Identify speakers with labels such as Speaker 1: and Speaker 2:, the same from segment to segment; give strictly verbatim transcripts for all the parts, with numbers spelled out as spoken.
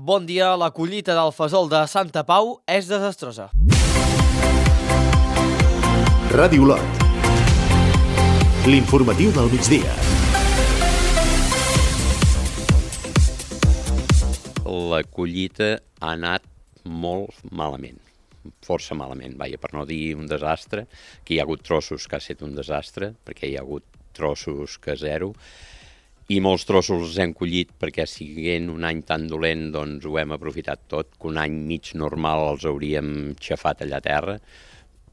Speaker 1: Bon dia, la collita del fesol de Santa Pau és desastrosa.
Speaker 2: Ràdio Olot. L'informatiu del migdia.
Speaker 3: La collita ha anat molt malament, força malament, vaja, per no dir un desastre, que hi ha hagut trossos que ha estat un desastre, perquè hi ha hagut trossos que zero, i molts trossos els hem collit perquè, siguent un any tan dolent, doncs ho hem aprofitat tot, que un any mig normal els hauríem xafat allà a terra,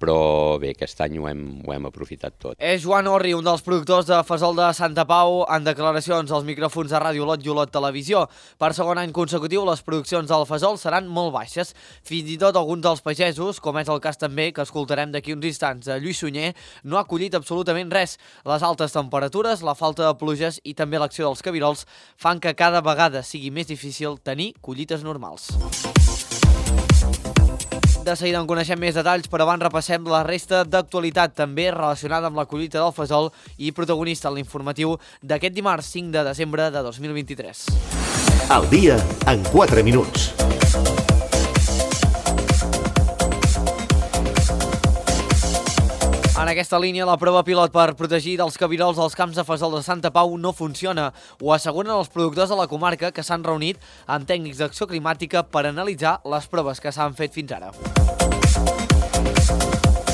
Speaker 3: però bé, aquest any ho hem, ho hem aprofitat tot.
Speaker 1: És Joan Orri, un dels productors de fesol de Santa Pau, en declaracions als micròfons de Ràdio Olot i Olot Televisió. Per segon any consecutiu, les produccions del fesol seran molt baixes. Fins i tot alguns dels pagesos, com és el cas també que escoltarem d'aquí uns instants de Lluís Sunyer, no ha collit absolutament res. Les altes temperatures, la falta de pluges i també l'acció dels cabirols fan que cada vegada sigui més difícil tenir collites normals. De seguida en coneixem més detalls, però abans repassem la resta d'actualitat també relacionada amb la collita del fesol i protagonista en l'informatiu d'aquest dimarts cinc de desembre de dos mil vint-i-tres.
Speaker 2: Al dia en quatre minuts.
Speaker 1: En aquesta línia, la prova pilot per protegir dels cabirols als camps de fesol de Santa Pau no funciona. Ho asseguren els productors de la comarca que s'han reunit amb tècnics d'acció climàtica per analitzar les proves que s'han fet fins ara.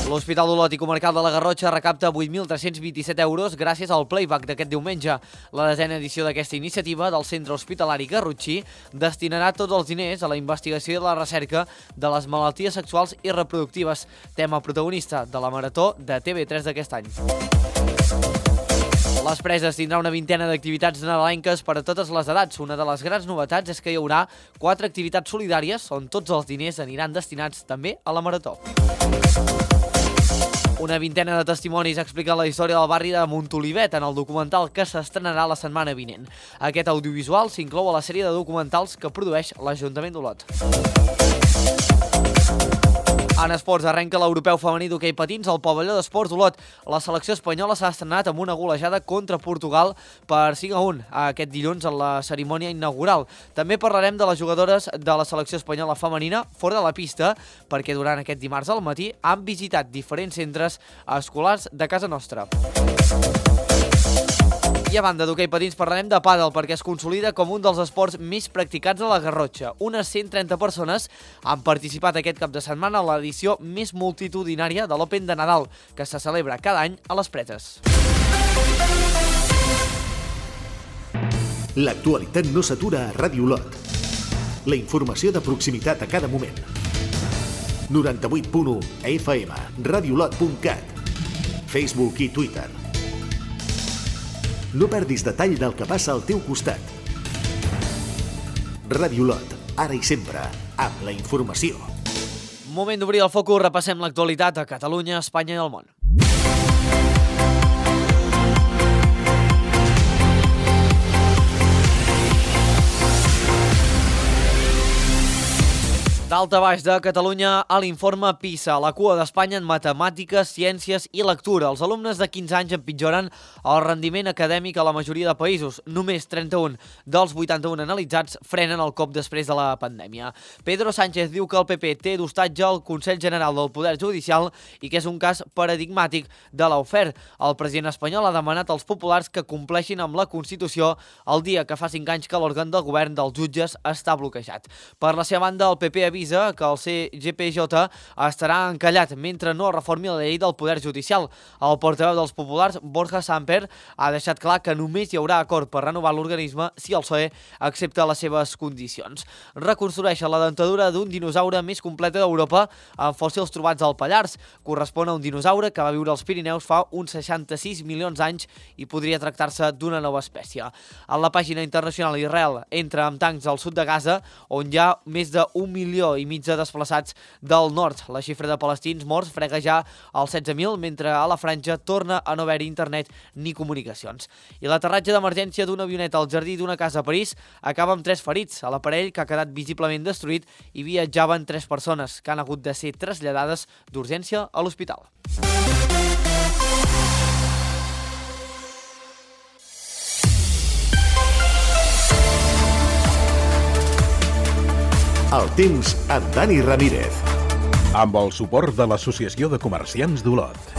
Speaker 1: L'Hospital d'Olot i Comarcal de la Garrotxa recapta vuit mil tres-cents vint-i-set euros gràcies al playback d'aquest diumenge. La desena edició d'aquesta iniciativa del Centre Hospitalari Garrotxí destinarà tots els diners a la investigació i la recerca de les malalties sexuals i reproductives, tema protagonista de la Marató de T V tres d'aquest any. Les Preses tindrà una vintena d'activitats nadalenques per a totes les edats. Una de les grans novetats és que hi haurà quatre activitats solidàries on tots els diners aniran destinats també a la Marató. Una vintena de testimonis explica la història del barri de Montolivet en el documental que s'estrenarà la setmana vinent. Aquest audiovisual s'inclou a la sèrie de documentals que produeix l'Ajuntament d'Olot. En esports, arrenca l'europeu femení d'hoquei patins al pavelló d'esports d'Olot. La selecció espanyola s'ha estrenat amb una golejada contra Portugal per cinc a un aquest dilluns en la cerimònia inaugural. També parlarem de les jugadores de la selecció espanyola femenina fora de la pista, perquè durant aquest dimarts al matí han visitat diferents centres escolars de casa nostra. I a banda d'hoquei patins parlarem de pàdel perquè es consolida com un dels esports més practicats a la Garrotxa. Unes cent trenta persones han participat aquest cap de setmana a l'edició més multitudinària de l'Open de Nadal, que se celebra cada any a les Preses.
Speaker 2: L'actualitat no s'atura a Ràdio Olot. La informació de proximitat a cada moment. noranta-vuit punt u F M, radiolot punt cat, Facebook i Twitter. No perdis detall del que passa al teu costat. Ràdio Olot, ara i sempre, amb la informació.
Speaker 1: Moment d'obrir el focus, repassem l'actualitat a Catalunya, Espanya i el món. D'alta baix de Catalunya a l'informe PISA, la cua d'Espanya en matemàtiques, ciències i lectura. Els alumnes de quinze anys empitjoren el rendiment acadèmic a la majoria de països. Només trenta-un dels vuitanta-un analitzats frenen el cop després de la pandèmia. Pedro Sánchez diu que el P P té d'hostatge al Consell General del Poder Judicial i que és un cas paradigmàtic de l'Aufer. El president espanyol ha demanat als populars que compleixin amb la Constitució el dia que fa cinc anys que l'òrgan del govern dels jutges està bloquejat. Per la seva banda, el P P avisa que el C G P J estarà encallat mentre no reformi la llei del Poder Judicial. El portaveu dels populars, Borja Samper, ha deixat clar que només hi haurà acord per renovar l'organisme si el P S O E accepta les seves condicions. Reconstrueixen la dentadura d'un dinosaure més completa d'Europa amb fòssils trobats al Pallars. Correspon a un dinosaure que va viure als Pirineus fa uns seixanta-sis milions d'anys i podria tractar-se d'una nova espècie. En la pàgina internacional, Israel entra amb tancs al sud de Gaza, on hi ha més d'un milió i mig de desplaçats del nord. La xifra de palestins morts frega ja als setze mil, mentre a la franja torna a no haver-hi internet ni comunicacions. I l'aterratge d'emergència d'una avioneta al jardí d'una casa a París acaba amb tres ferits. A l'aparell, que ha quedat visiblement destruït, hi viatjaven tres persones que han hagut de ser traslladades d'urgència a l'hospital.
Speaker 2: El temps amb Dani Ramírez.
Speaker 4: Amb el suport de l'Associació de Comerciants d'Olot.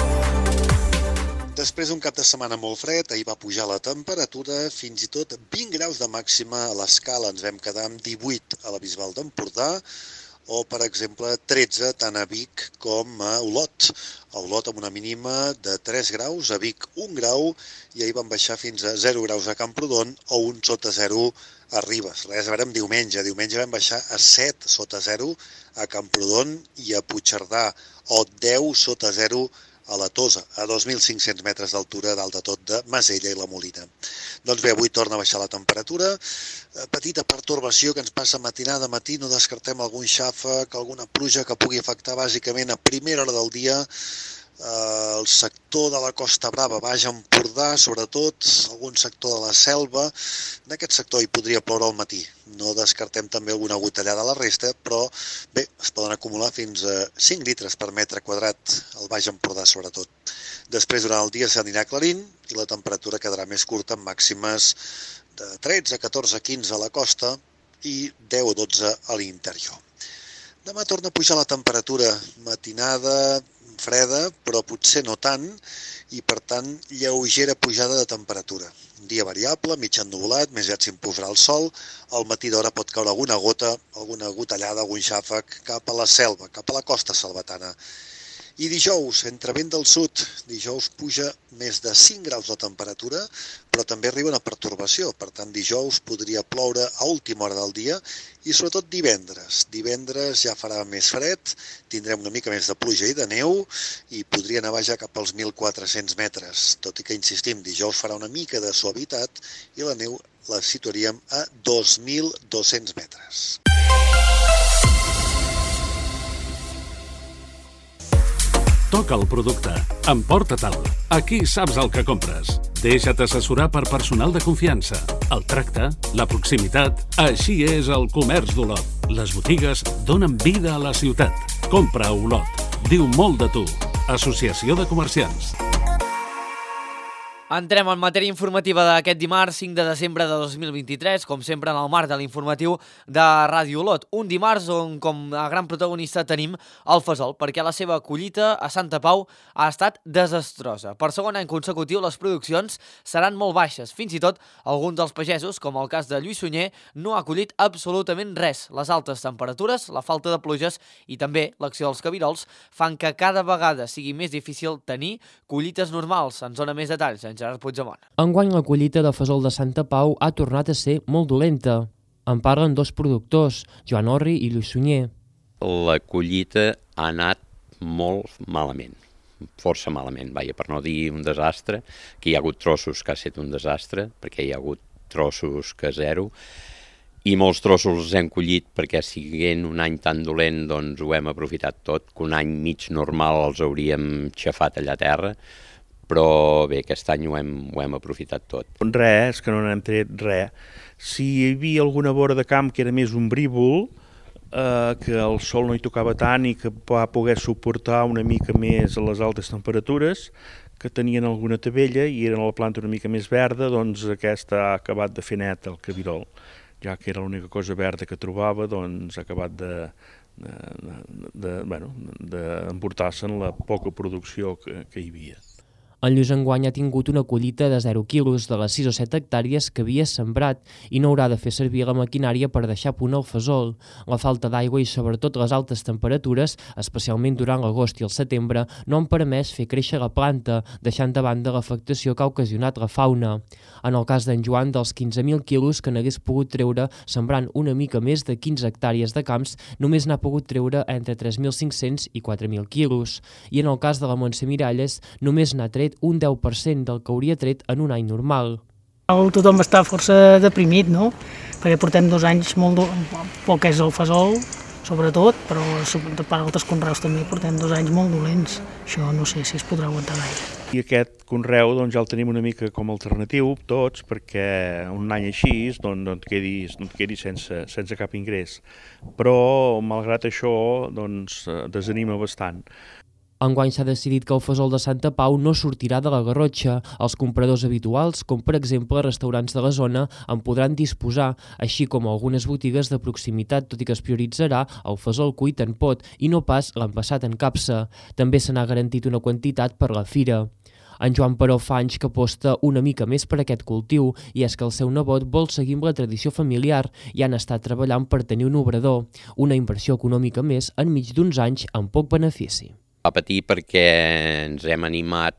Speaker 5: Després d'un cap de setmana molt fred, ahir va pujar la temperatura, fins i tot vint graus de màxima a l'escala. Ens vam quedar amb divuit a la Bisbal d'Empordà, o, per exemple, tretze tant a Vic com a Olot. A Olot amb una mínima de tres graus, a Vic un grau, i ahir van baixar fins a zero graus a Camprodon o un sota zero a Ribes. Res a veure amb diumenge. Diumenge vam baixar a set sota zero a Camprodon i a Puigcerdà, o deu sota zero a la Tosa, a dos mil cinc-cents metres d'altura dalt de tot de Masella i la Molina. Doncs bé, avui torna a baixar la temperatura, petita pertorbació que ens passa matinada a matí, no descartem algun xàfec, alguna pluja que pugui afectar bàsicament a primera hora del dia el sector de la Costa Brava, Baix Empordà, sobretot, algun sector de la Selva. En aquest sector hi podria ploure al matí. No descartem també alguna gotellada a la resta, però bé, es poden acumular fins a cinc litres per metre quadrat al Baix Empordà, sobretot. Després, durant el dia s'anirà aclarint i la temperatura quedarà més curta, amb màximes de tretze, catorze, quinze a la costa i deu o dotze a l'interior. Demà torna a pujar la temperatura matinada, freda, però potser no tant, i per tant lleugera pujada de temperatura. Un dia variable, mig ennuvolat, més aviat s'imposarà el sol, al matí d'hora pot caure alguna gota, alguna gotellada, algun xàfec cap a la selva, cap a la costa salvatana. I dijous, entre vent del sud, dijous puja més de cinc graus la temperatura, però també arriba una pertorbació. Per tant, dijous podria ploure a última hora del dia i sobretot divendres. Divendres ja farà més fred, tindrem una mica més de pluja i de neu i podria nevar ja cap als mil quatre-cents metres. Tot i que, insistim, dijous farà una mica de suavitat i la neu la situaríem a dos mil dos-cents metres.
Speaker 6: Toca el producte. Emporta-te'l. Aquí saps el que compres. Deixa't assessorar per personal de confiança. El tracte, la proximitat... Així és el comerç d'Olot. Les botigues donen vida a la ciutat. Compra a Olot. Diu molt de tu. Associació de Comerciants.
Speaker 1: Entrem en matèria informativa d'aquest dimarts cinc de desembre de dos mil vint-i-tres, com sempre en el marc de l'informatiu de Ràdio Olot. Un dimarts on com a gran protagonista tenim el fesol, perquè la seva collita a Santa Pau ha estat desastrosa. Per segon any consecutiu les produccions seran molt baixes. Fins i tot alguns dels pagesos, com el cas de Lluís Sunyer, no ha collit absolutament res. Les altes temperatures, la falta de pluges i també l'acció dels cabirols fan que cada vegada sigui més difícil tenir collites normals. Ens dona més detalls en Gerard Puigdemont.
Speaker 7: Enguany la collita de fesol de Santa Pau ha tornat a ser molt dolenta. En parlen dos productors, Joan Orri i Lluís Sunyer.
Speaker 3: La collita ha anat molt malament, força malament, vaja, per no dir un desastre, que hi ha hagut trossos que ha estat un desastre, perquè hi ha hagut trossos que zero, i molts trossos els hem collit perquè siguent un any tan dolent doncs ho hem aprofitat tot, que un any mig normal els hauríem xafat allà a terra, però bé, aquest any ho hem, ho hem aprofitat tot.
Speaker 8: Res, és que no n'hem tret res. Si hi havia alguna vora de camp que era més un brívol, eh, que el sol no hi tocava tant i que va poder suportar una mica més a les altes temperatures, que tenien alguna tabella i eren a la planta una mica més verda, doncs aquesta ha acabat de fer net el cabirol. Ja que era l'única cosa verda que trobava, doncs ha acabat de... de, de, de, bueno, d'emportar-se en la poca producció que, que hi havia.
Speaker 7: En Lluís enguany ha tingut una collita de zero quilos de les sis o set hectàrees que havia sembrat i no haurà de fer servir la maquinària per deixar a punt el fesol. La falta d'aigua i sobretot les altes temperatures, especialment durant l'agost i el setembre, no han permès fer créixer la planta, deixant de banda l'afectació que ha ocasionat la fauna. En el cas d'en Joan, dels quinze mil quilos que n'hagués pogut treure sembrant una mica més de quinze hectàrees de camps, només n'ha pogut treure entre tres mil cinc-cents i quatre mil quilos. I en el cas de la Montse Miralles, només n'ha tret un deu per cent del que hauria tret en un any normal.
Speaker 9: Tothom està força deprimit, no? Perquè portem dos anys molt... poc és el fesol, sobretot, però per altres conreus també portem dos anys molt dolents. Això no sé si es podrà aguantar gaire.
Speaker 8: I aquest conreu doncs, ja el tenim una mica com a alternatiu, tots, perquè un any així doncs, no et quedis, no et quedis sense, sense cap ingrés. Però, malgrat això, doncs, desanima bastant.
Speaker 7: Enguany s'ha decidit que el fesol de Santa Pau no sortirà de la Garrotxa. Els compradors habituals, com per exemple restaurants de la zona, en podran disposar, així com algunes botigues de proximitat, tot i que es prioritzarà el fesol cuit en pot i no pas l'envasat en capsa. També se n'ha garantit una quantitat per la fira. En Joan, però, fa anys que aposta una mica més per aquest cultiu i és que el seu nebot vol seguir amb la tradició familiar i han estat treballant per tenir un obrador, una inversió econòmica més enmig d'uns anys amb poc benefici.
Speaker 3: Va patir perquè ens hem animat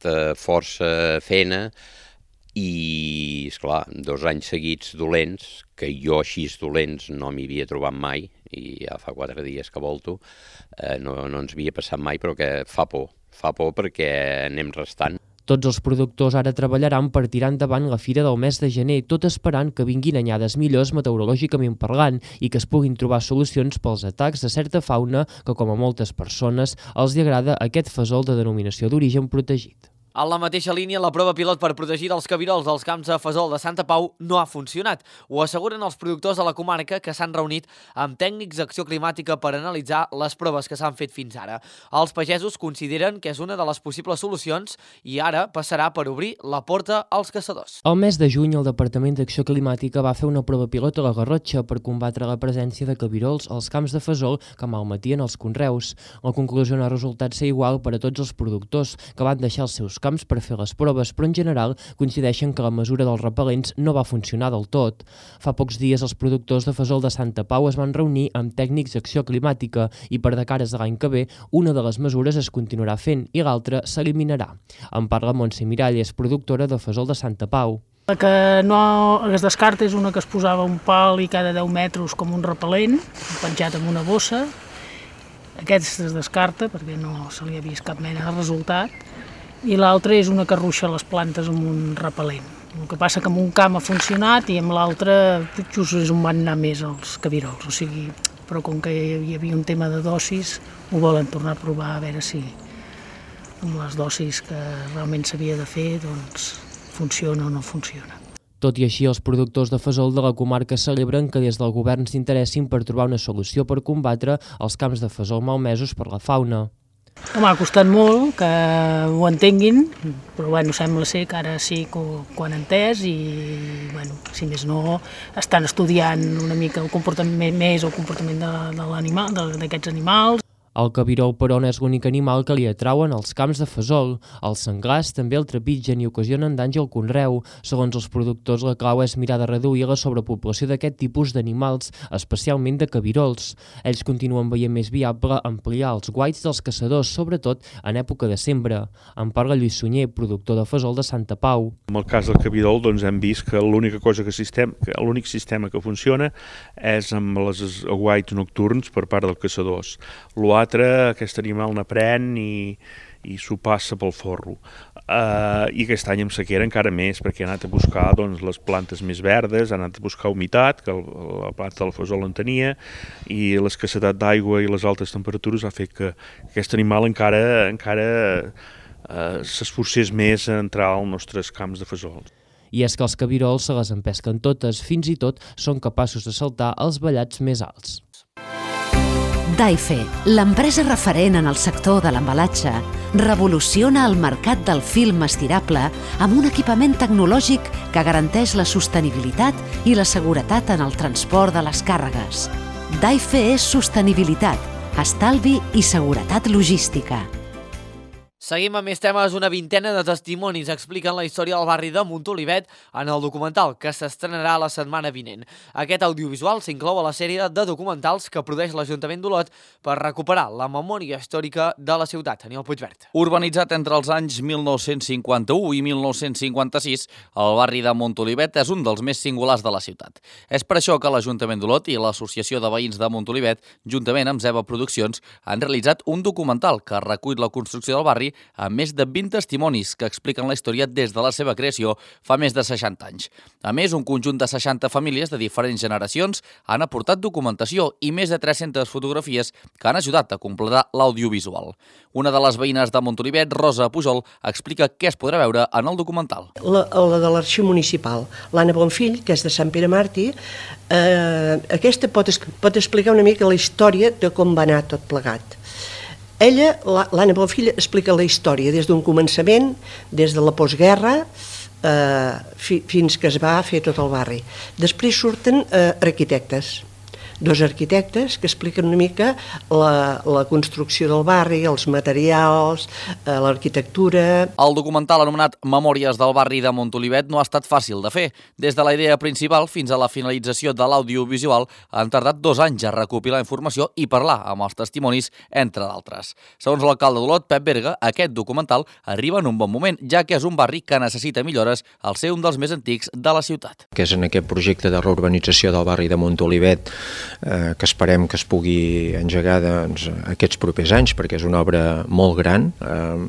Speaker 3: eh, força fent i, esclar, dos anys seguits dolents, que jo així dolents no m'hi havia trobat mai, i ja fa quatre dies que volto, eh, no, no ens havia passat mai, però que fa por, fa por perquè anem restant.
Speaker 7: Tots els productors ara treballaran per tirar endavant la fira del mes de gener, tot esperant que vinguin anyades millors meteorològicament parlant i que es puguin trobar solucions pels atacs de certa fauna que, com a moltes persones, els hi agrada aquest fesol de denominació d'origen protegit.
Speaker 1: En la mateixa línia, la prova pilot per protegir els cabirols dels camps de fesol de Santa Pau no ha funcionat. Ho asseguren els productors de la comarca que s'han reunit amb tècnics d'acció climàtica per analitzar les proves que s'han fet fins ara. Els pagesos consideren que és una de les possibles solucions i ara passarà per obrir la porta als caçadors.
Speaker 7: El mes de juny, el Departament d'Acció Climàtica va fer una prova pilot a la Garrotxa per combatre la presència de cabirols als camps de fesol que malmetien els conreus. La conclusió no ha resultat ser igual per a tots els productors, que van deixar els seus camps per fer les proves, però en general coincideixen que la mesura dels repel·lents no va funcionar del tot. Fa pocs dies els productors de fesol de Santa Pau es van reunir amb tècnics d'acció climàtica i per de cares de l'any que ve una de les mesures es continuarà fent i l'altra s'eliminarà. En parla Montse Miralles, productora de fesol de Santa Pau.
Speaker 9: La que no es descarta és una que es posava un pal i cada deu metres com un repel·lent, penjat en una bossa. Aquest es descarta perquè no se li ha vist cap mena de resultat. I l'altra és una que arruixa les plantes amb un repel·lent. El que passa que amb un camp ha funcionat i amb l'altre just és on van anar més els cabirols. O sigui, però com que hi havia un tema de dosis, ho volen tornar a provar a veure si amb les dosis que realment s'havia de fer doncs, funciona o no funciona.
Speaker 7: Tot i així, els productors de fesol de la comarca celebren que des del govern s'interessin per trobar una solució per combatre els camps de fesol malmesos per la fauna.
Speaker 9: Home, ha costat molt que ho entenguin, però bueno, sembla ser que ara sí que ho han entès i, bueno, si més no, estan estudiant una mica el comportament més, el comportament de, de l'animal, d'aquests animals.
Speaker 7: El cabirol, però, no és l'únic animal que li atrauen als camps de fesol. Els senglars també el trepitgen i ocasionen danys al conreu. Segons els productors, la clau és mirar de reduir la sobrepoblació d'aquest tipus d'animals, especialment de cabirols. Ells continuen veient més viable ampliar els guaits dels caçadors, sobretot en època de sembra. En parla Lluís Sunyer, productor de fesol de Santa Pau.
Speaker 8: En el cas del cabirol doncs, hem vist que l'única cosa que sistema, que l'únic sistema que funciona és amb els aguaits nocturns per part dels caçadors. L'altre, aquest animal n'aprèn i, i s'ho passa pel forro. Uh, I aquest any amb sequera encara més, perquè ha anat a buscar doncs, les plantes més verdes, ha anat a buscar humitat, que el, la planta del fesol en tenia, i l'escassetat d'aigua i les altes temperatures ha fet que aquest animal encara, encara uh, s'esforcés més a entrar als nostres camps de fesol.
Speaker 7: I és que els cabirols se les empesquen totes, fins i tot són capaços de saltar els vallats més alts.
Speaker 10: Daife, l'empresa referent en el sector de l'embalatge, revoluciona el mercat del film estirable amb un equipament tecnològic que garanteix la sostenibilitat i la seguretat en el transport de les càrregues. Daife és sostenibilitat, estalvi i seguretat logística.
Speaker 1: Seguim amb més temes. Una vintena de testimonis expliquen la història del barri de Montolivet en el documental que s'estrenarà la setmana vinent. Aquest audiovisual s'inclou a la sèrie de documentals que produeix l'Ajuntament d'Olot per recuperar la memòria històrica de la ciutat. Aniol Puigvert.
Speaker 11: Urbanitzat entre els anys mil nou-cents cinquanta-u i mil nou-cents cinquanta-sis, el barri de Montolivet és un dels més singulars de la ciutat. És per això que l'Ajuntament d'Olot i l'Associació de Veïns de Montolivet, juntament amb Zeva Produccions, han realitzat un documental que recull la construcció del barri amb més de vint testimonis que expliquen la història des de la seva creació fa més de seixanta anys. A més, un conjunt de seixanta famílies de diferents generacions han aportat documentació i més de tres-centes fotografies que han ajudat a completar l'audiovisual. Una de les veïnes de Montolivet, Rosa Pujol, explica què es podrà veure en el documental.
Speaker 12: La, la de l'Arxiu Municipal, l'Anna Bonfill, que és de Sant Pere Màrtir, eh, aquesta pot, pot explicar una mica la història de com va anar tot plegat. ella, l'Anna Bonfill, explica la història des d'un començament, des de la postguerra, eh, fi, fins que es va fer tot el barri. Després surten eh, arquitectes, dos arquitectes que expliquen una mica la, la construcció del barri, els materials, eh, l'arquitectura...
Speaker 11: El documental anomenat Memòries del barri de Montolivet no ha estat fàcil de fer. Des de la idea principal fins a la finalització de l'audiovisual han tardat dos anys a recopilar informació i parlar amb els testimonis, entre d'altres. Segons l'alcalde d'Olot, Pep Berga, aquest documental arriba en un bon moment, ja que és un barri que necessita millores al ser un dels més antics de la ciutat.
Speaker 13: Que és en aquest projecte de reurbanització del barri de Montolivet Eh, que esperem que es pugui engegar doncs, aquests propers anys, perquè és una obra molt gran. Eh,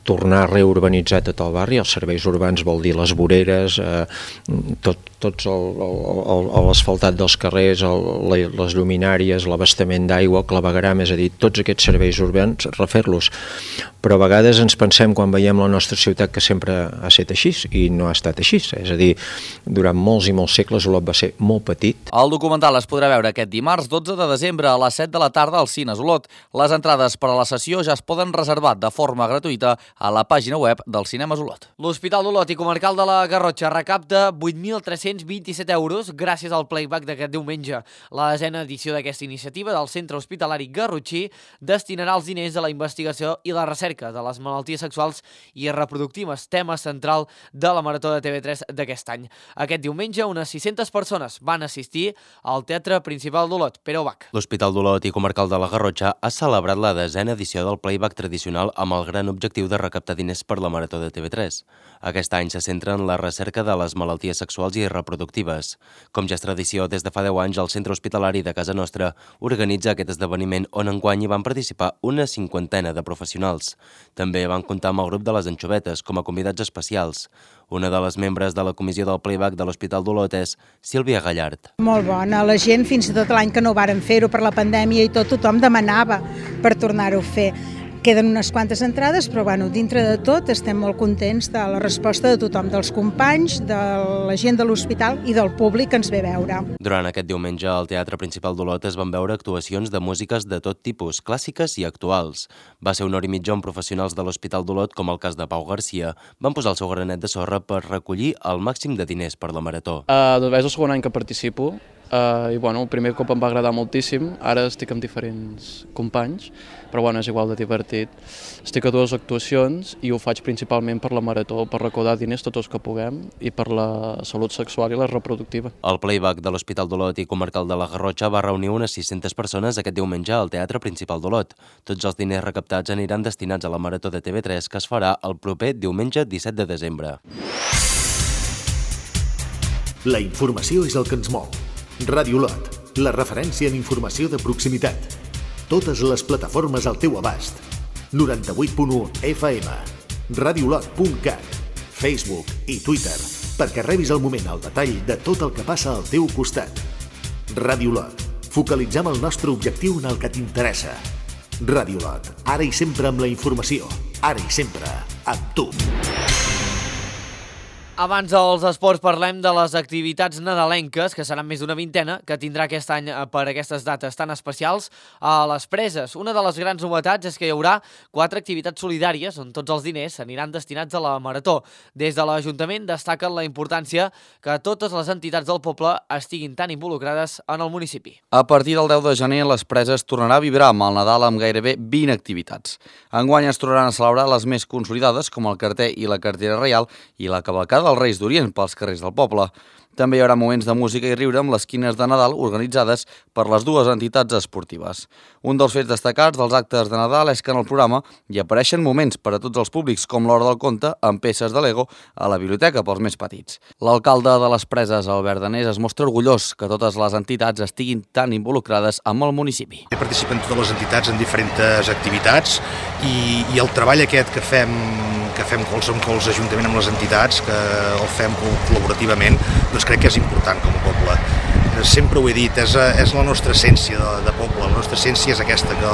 Speaker 13: tornar a reurbanitzar tot el barri, els serveis urbans vol dir les voreres, eh, tot, tots l'asfaltat dels carrers, el, les lluminàries, l'abastament d'aigua, el clavegueram, és a dir, tots aquests serveis urbans, refer-los. Però a vegades ens pensem, quan veiem la nostra ciutat, que sempre ha estat així, i no ha estat així. És a dir, durant molts i molts segles Olot va ser molt petit.
Speaker 11: El documental es podrà veure aquest dimarts dotze de desembre a les set de la tarda als Cines Olot. Les entrades per a la sessió ja es poden reservar de forma gratuïta a la pàgina web del Cinemes Olot.
Speaker 1: L'Hospital d'Olot i Comarcal de la Garrotxa recapta vuit mil tres-cents vint-i-set euros gràcies al playback d'aquest diumenge. La desena edició d'aquesta iniciativa del Centre Hospitalari Garrotxí destinarà els diners a la investigació i la recerca de les malalties sexuals i reproductives, tema central de la Marató de T V tres d'aquest any. Aquest diumenge, unes sis-centes persones van assistir al Teatre Principal d'Olot, Pere Ubach.
Speaker 14: L'Hospital d'Olot i Comarcal de la Garrotxa ha celebrat la desena edició del playback tradicional amb el gran objectiu de recaptar diners per la Marató de T V tres. Aquest any se centra en la recerca de les malalties sexuals i reproductives. Com ja és tradició, des de fa deu anys, el Centre Hospitalari de Casa Nostra organitza aquest esdeveniment on enguany hi van participar una cinquantena de professionals. També van comptar amb el grup de les Anxovetes com a convidats especials. Una de les membres de la comissió del playback de l'Hospital d'Olot és Sílvia Gallard.
Speaker 15: Molt bona. La gent, fins i tot l'any que no varen fer-ho per la pandèmia i tot, tothom demanava per tornar-ho a fer. Queden unes quantes entrades, però bueno, dintre de tot estem molt contents de la resposta de tothom, dels companys, de la gent de l'hospital i del públic que ens ve a veure.
Speaker 14: Durant aquest diumenge al Teatre Principal d'Olot es van veure actuacions de músiques de tot tipus, clàssiques i actuals. Va ser una hora i mitja on professionals de l'Hospital d'Olot, com el cas de Pau Garcia, van posar el seu granet de sorra per recollir el màxim de diners per la Marató.
Speaker 16: Uh, doncs és el segon any que participo. Uh, i bueno, el primer cop em va agradar moltíssim, ara estic amb diferents companys, però bueno, és igual de divertit. Estic a dues actuacions i ho faig principalment per la Marató, per recaudar diners tots els que puguem i per la salut sexual i la reproductiva.
Speaker 14: El playback de l'Hospital d'Olot i Comarcal de la Garrotxa va reunir unes sis-centes persones aquest diumenge al Teatre Principal d'Olot. Tots els diners recaptats aniran destinats a la Marató de T V tres que es farà el proper diumenge disset de desembre.
Speaker 2: La informació és el que ens mou. Ràdio Olot, la referència en informació de proximitat. Totes les plataformes al teu abast. noranta-vuit punt u F M, radiolot punt cat, Facebook i Twitter, perquè rebis al moment el detall de tot el que passa al teu costat. Ràdio Olot, focalitzem el nostre objectiu en el que t'interessa. Ràdio Olot, ara i sempre amb la informació, ara i sempre amb tu.
Speaker 1: Abans dels esports parlem de les activitats nadalenques, que seran més d'una vintena, que tindrà aquest any per aquestes dates tan especials a les Preses. Una de les grans novetats és que hi haurà quatre activitats solidàries on tots els diners aniran destinats a la Marató. Des de l'Ajuntament destaquen la importància que totes les entitats del poble estiguin tan involucrades en el municipi.
Speaker 11: A partir del deu de gener, les Preses tornarà a vibrar amb el Nadal amb gairebé vint activitats. Enguany es tornaran a celebrar les més consolidades, com el carter i la cartera reial i la cavalcada dels Reis d'Orient pels carrers del poble. També hi haurà moments de música i riure amb les quines de Nadal organitzades per les dues entitats esportives. Un dels fets destacats dels actes de Nadal és que en el programa hi apareixen moments per a tots els públics, com l'Hora del Conte, amb peces de Lego a la biblioteca pels més petits. L'alcalde de les Preses, Albert Danés, es mostra orgullós que totes les entitats estiguin tan involucrades amb el municipi.
Speaker 17: Participen totes les entitats en diferents activitats i, i el treball aquest que fem que fem cols amb cols ajuntament amb les entitats, que el fem col·laborativament, doncs crec que és important com a poble. Sempre ho he dit, és, és la nostra essència de, de poble, la nostra essència és aquesta, que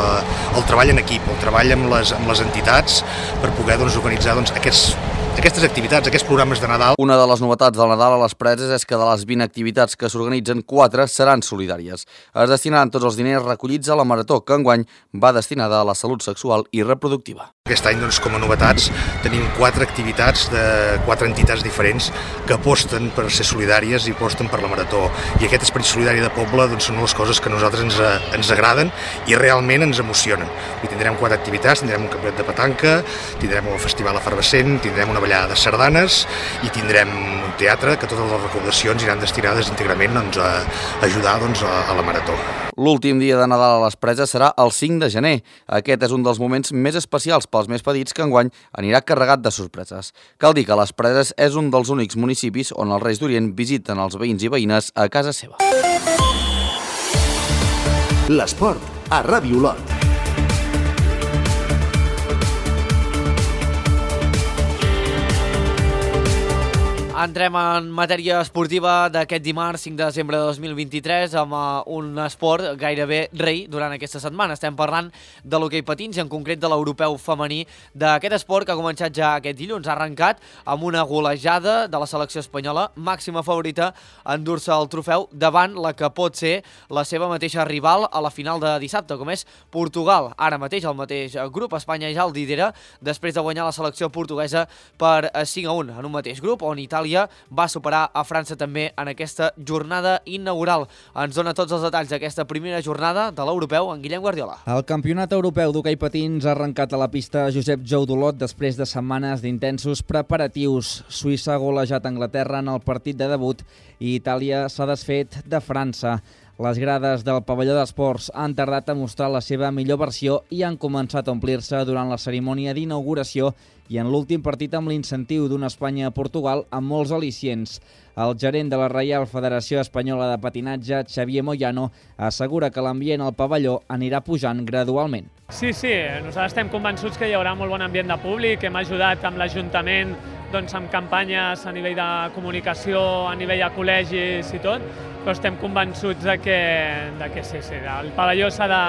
Speaker 17: el treball en equip, el treball amb les, amb les entitats per poder doncs, organitzar doncs, aquests aquestes activitats, aquests programes de Nadal.
Speaker 11: Una de les novetats del Nadal a les Preses és que de les vint activitats que s'organitzen, quatre seran solidàries. Es destinaran tots els diners recollits a la Marató, que enguany va destinada a la salut sexual i reproductiva.
Speaker 17: Aquest any, doncs, com a novetats, tenim quatre activitats de quatre entitats diferents que aposten per ser solidàries i aposten per la Marató. I aquest esperit solidari de poble doncs, són les coses que a nosaltres ens, ens agraden i realment ens emocionen. I tindrem quatre activitats, tindrem un campionat de petanca, tindrem un festival efervescent, tindrem una ballada de sardanes i tindrem un teatre que totes les recaudacions iran destinades íntegrament doncs, a ajudar doncs, a, a la Marató.
Speaker 11: L'últim dia de Nadal a les Preses serà el cinc de gener. Aquest és un dels moments més especials pels més petits que enguany anirà carregat de sorpreses. Cal dir que les Preses és un dels únics municipis on els Reis d'Orient visiten els veïns i veïnes a casa seva.
Speaker 2: L'esport a Ràdio Olot.
Speaker 1: Entrem en matèria esportiva d'aquest dimarts cinc de desembre de dos mil vint-i-tres amb un esport gairebé rei durant aquesta setmana. Estem parlant de l'hoquei patins i en concret de l'europeu femení d'aquest esport que ha començat ja aquest dilluns. Ha arrencat amb una golejada de la selecció espanyola, màxima favorita a endur-se el trofeu davant la que pot ser la seva mateixa rival a la final de dissabte, com és Portugal. Ara mateix el mateix grup, Espanya ja el lidera després de guanyar la selecció portuguesa per cinc a un en un mateix grup, on Itàlia va superar a França també en aquesta jornada inaugural. Ens dona tots els detalls d'aquesta primera jornada de l'europeu en Guillem Guardiola.
Speaker 18: El campionat europeu d'hoquei patins ha arrencat a la pista Josep Jou d'Olot després de setmanes d'intensos preparatius. Suïssa ha golejat Anglaterra en el partit de debut i Itàlia s'ha desfet de França. Les grades del pavelló d'esports han tardat a mostrar la seva millor versió i han començat a omplir-se durant la cerimònia d'inauguració i en l'últim partit amb l'incentiu d'una Espanya a Portugal amb molts al·licients. El gerent de la Reial Federació Espanyola de Patinatge, Xavier Moyano, assegura que l'ambient al pavelló anirà pujant gradualment.
Speaker 19: Sí, sí, nosaltres estem convençuts que hi haurà molt bon ambient de públic, hem ajudat amb l'Ajuntament doncs, amb campanyes a nivell de comunicació, a nivell de col·legis i tot, però estem convençuts de que, de que sí, sí, el pavelló s'ha de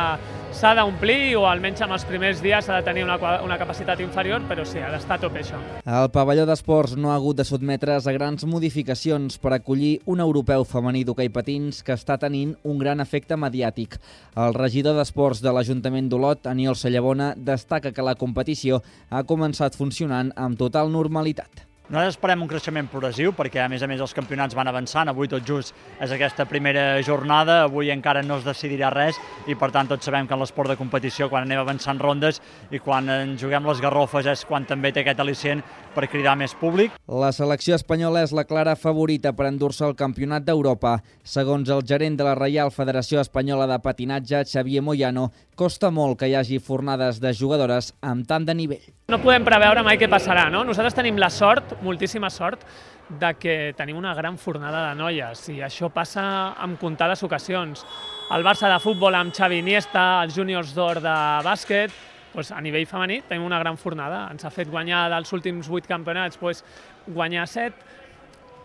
Speaker 19: s'ha d'omplir o almenys en els primers dies s'ha de tenir una, una capacitat inferior, però sí, ha d'estar a tope això.
Speaker 18: El pavelló d'esports no ha hagut de sotmetre's a grans modificacions per acollir un europeu femení d'hoquei patins que està tenint un gran efecte mediàtic. El regidor d'esports de l'Ajuntament d'Olot, Aniol Sallabona, destaca que la competició ha començat funcionant amb total normalitat.
Speaker 20: Nosaltres esperem un creixement progressiu perquè, a més a més, els campionats van avançant. Avui tot just és aquesta primera jornada, avui encara no es decidirà res i, per tant, tots sabem que en l'esport de competició, quan anem avançant rondes i quan ens juguem les garrofes és quan també té aquest al·licient per cridar més públic.
Speaker 18: La selecció espanyola és la clara favorita per endur-se el Campionat d'Europa. Segons el gerent de la Reial Federació Espanyola de Patinatge, Xavier Moyano, costa molt que hi hagi fornades de jugadores amb tant de nivell.
Speaker 19: No podem preveure mai què passarà, no? Nosaltres tenim la sort, moltíssima sort, de que tenim una gran fornada de noies i això passa en comptades ocasions. El Barça de futbol amb Xavi Iniesta, els Júniors d'Or de bàsquet, doncs a nivell femení tenim una gran fornada. Ens ha fet guanyar dels últims vuit campionats, doncs guanyar set,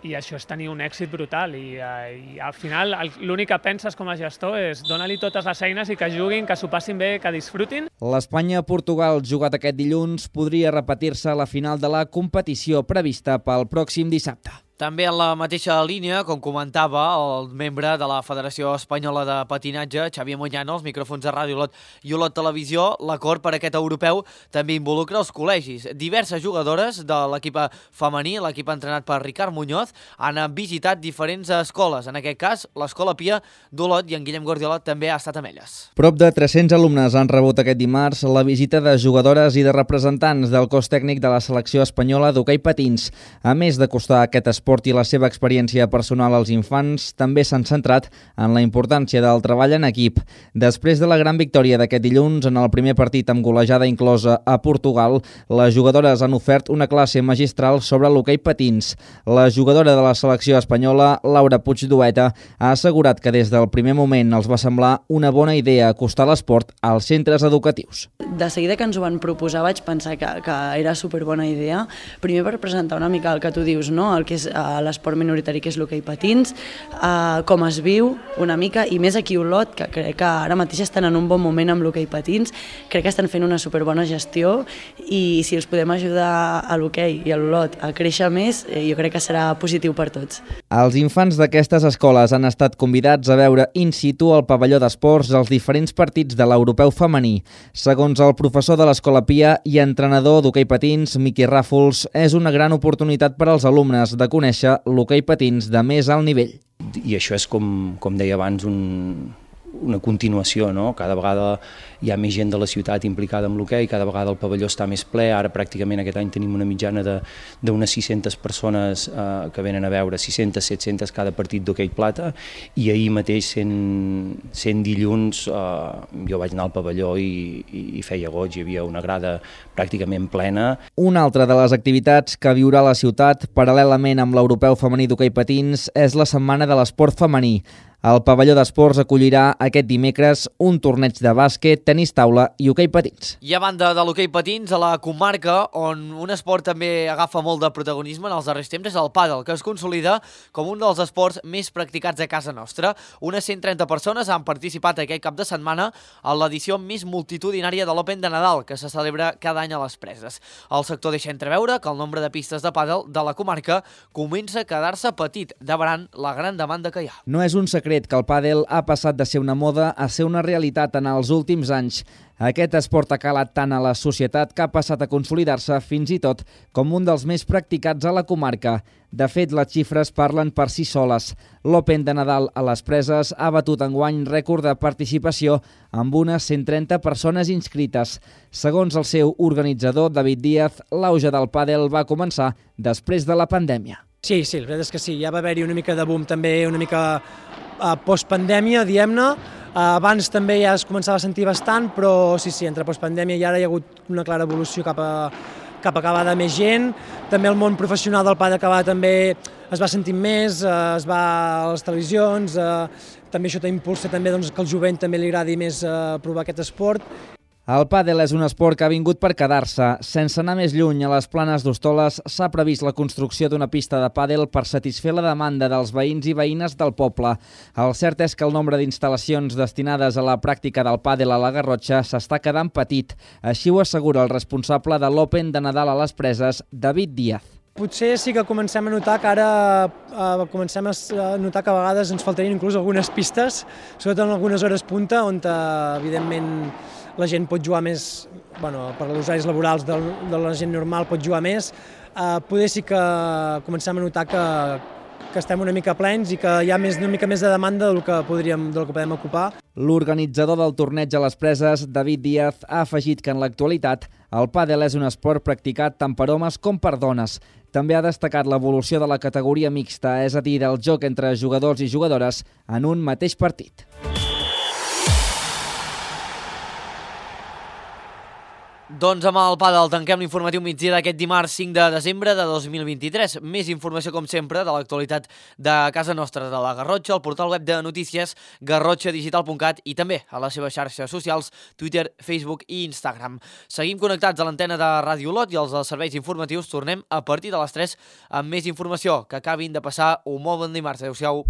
Speaker 19: i això és tenir un èxit brutal i, i al final l'únic que penses com a gestor és donar-li totes les eines i que juguin, que s'ho passin bé, que disfrutin.
Speaker 18: L'Espanya-Portugal jugat aquest dilluns podria repetir-se a la final de la competició prevista pel pròxim dissabte.
Speaker 1: També en la mateixa línia, com comentava el membre de la Federació Espanyola de Patinatge, Xavier Moyano, als micròfons de Ràdio Olot i Olot Televisió, l'acord per aquest europeu també involucra els col·legis. Diverses jugadores de l'equip femení, l'equip entrenat per Ricard Muñoz, han visitat diferents escoles. En aquest cas, l'Escola Pia d'Olot, i en Guillem Guardiola també ha estat amb elles.
Speaker 18: Prop de tres-cents alumnes han rebut aquest dimarts la visita de jugadores i de representants del cos tècnic de la selecció espanyola d'hoquei patins. A més d'acostar aquest esport i la seva experiència personal als infants, també s'han centrat en la importància del treball en equip. Després de la gran victòria d'aquest dilluns en el primer partit amb golejada inclosa a Portugal, les jugadores han ofert una classe magistral sobre l'hoquei patins. La jugadora de la selecció espanyola, Laura Puigdueta, ha assegurat que des del primer moment els va semblar una bona idea acostar l'esport als centres educatius.
Speaker 21: De seguida que ens ho van proposar vaig pensar que, que era superbona idea, primer per presentar una mica el que tu dius, no? El que és l'esport minoritari que és l'hoquei patins, com es viu una mica, i més aquí a Olot, que crec que ara mateix estan en un bon moment amb l'hoquei patins, crec que estan fent una superbona gestió i si els podem ajudar a l'hoquei i a l'Olot a créixer més, jo crec que serà positiu per tots.
Speaker 18: Els infants d'aquestes escoles han estat convidats a veure in situ al pavelló d'esports els diferents partits de l'europeu femení. Segons el professor de l'Escola Pia i entrenador d'hoquei patins, Miqui Ràfols, és una gran oportunitat per als alumnes de conèixer l'hoquei patins de més alt nivell.
Speaker 22: I això és, com, com deia abans, un, una continuació, no? Cada vegada hi ha més gent de la ciutat implicada amb l'hoquei, cada vegada el pavelló està més ple, ara pràcticament aquest any tenim una mitjana d'unes sis-centes persones eh, que venen a veure, sis-centes, set-centes cada partit d'hoquei plata, i ahir mateix, sent, sent dilluns, eh, jo vaig anar al pavelló i, i, i feia goig, hi havia una grada pràcticament plena.
Speaker 18: Una altra de les activitats que viurà la ciutat, paral·lelament amb l'europeu femení d'hoquei patins, és la Setmana de l'Esport Femení. El pavelló d'esports acollirà aquest dimecres un torneig de bàsquet, tenis taula i hoquei patins.
Speaker 1: I a banda de l'hoquei patins, a la comarca, on un esport també agafa molt de protagonisme en els darrers temps, és el pàdel, que es consolida com un dels esports més practicats a casa nostra. Unes cent trenta persones han participat aquest cap de setmana a l'edició més multitudinària de l'Open de Nadal, que se celebra cada any a les Preses. El sector deixa entreveure que el nombre de pistes de pàdel de la comarca comença a quedar-se petit, davant la gran demanda que hi ha.
Speaker 18: No és un secret que el pàdel ha passat de ser una moda a ser una realitat en els últims anys. Aquest esport ha calat tant a la societat que ha passat a consolidar-se fins i tot com un dels més practicats a la comarca. De fet, les xifres parlen per si soles. L'Open de Nadal a les Preses ha batut enguany rècord de participació amb unes cent trenta persones inscrites. Segons el seu organitzador, David Díaz, l'auge del pàdel va començar després de la pandèmia.
Speaker 23: Sí, sí, la veritat és que sí, ja va haver-hi una mica de boom també, una mica uh, postpandèmia, diguem-ne. Uh, abans també ja es començava a sentir bastant, però sí, sí, entre postpandèmia i ara hi ha hagut una clara evolució cap a, cap a cada més gent. També el món professional del pàdel cada també es va sentint més, uh, es va a les televisions, uh, també això impulsa també, doncs, que al jovent també li agradi més uh, provar aquest esport.
Speaker 18: El pàdel és un esport que ha vingut per quedar-se. Sense anar més lluny, a les Planes d'Hostoles s'ha previst la construcció d'una pista de pàdel per satisfer la demanda dels veïns i veïnes del poble. El cert és que el nombre d'instal·lacions destinades a la pràctica del pàdel a la Garrotxa s'està quedant petit. Així ho assegura el responsable de l'Open de Nadal a les Preses, David Díaz.
Speaker 23: Potser sí que comencem a notar que ara eh, comencem a notar que a vegades ens faltarien inclús algunes pistes, sobretot en algunes hores punta, on eh, evidentment la gent pot jugar més, bueno, per als horaris laborals de, de la gent normal pot jugar més. Eh, poder sí que comencem a notar que, que estem una mica plens i que hi ha més, una mica més de demanda del que, podríem, del que podem ocupar.
Speaker 18: L'organitzador del torneig a les Preses, David Díaz, ha afegit que en l'actualitat el pàdel és un esport practicat tant per homes com per dones. També ha destacat l'evolució de la categoria mixta, és a dir, del joc entre jugadors i jugadores en un mateix partit.
Speaker 1: Doncs amb el pàdel tanquem l'informatiu migdia d'aquest dimarts cinc de desembre de dos mil vint-i-tres. Més informació, com sempre, de l'actualitat de casa nostra, de la Garrotxa, al portal web de notícies garrotxa digital punt cat i també a les seves xarxes socials, Twitter, Facebook i Instagram. Seguim connectats a l'antena de Ràdio Olot i els dels serveis informatius tornem a partir de les tres amb més informació. Que acabin de passar un molt bon dimarts. Adéu-siau.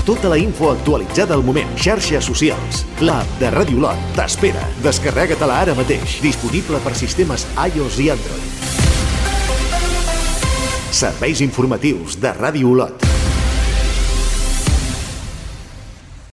Speaker 2: Tota la info actualitzada al moment. Xarxes socials. L'app de Ràdio Olot t'espera. Descarrega-te-la ara mateix. Disponible per sistemes iOS i Android. Serveis informatius de Ràdio Olot.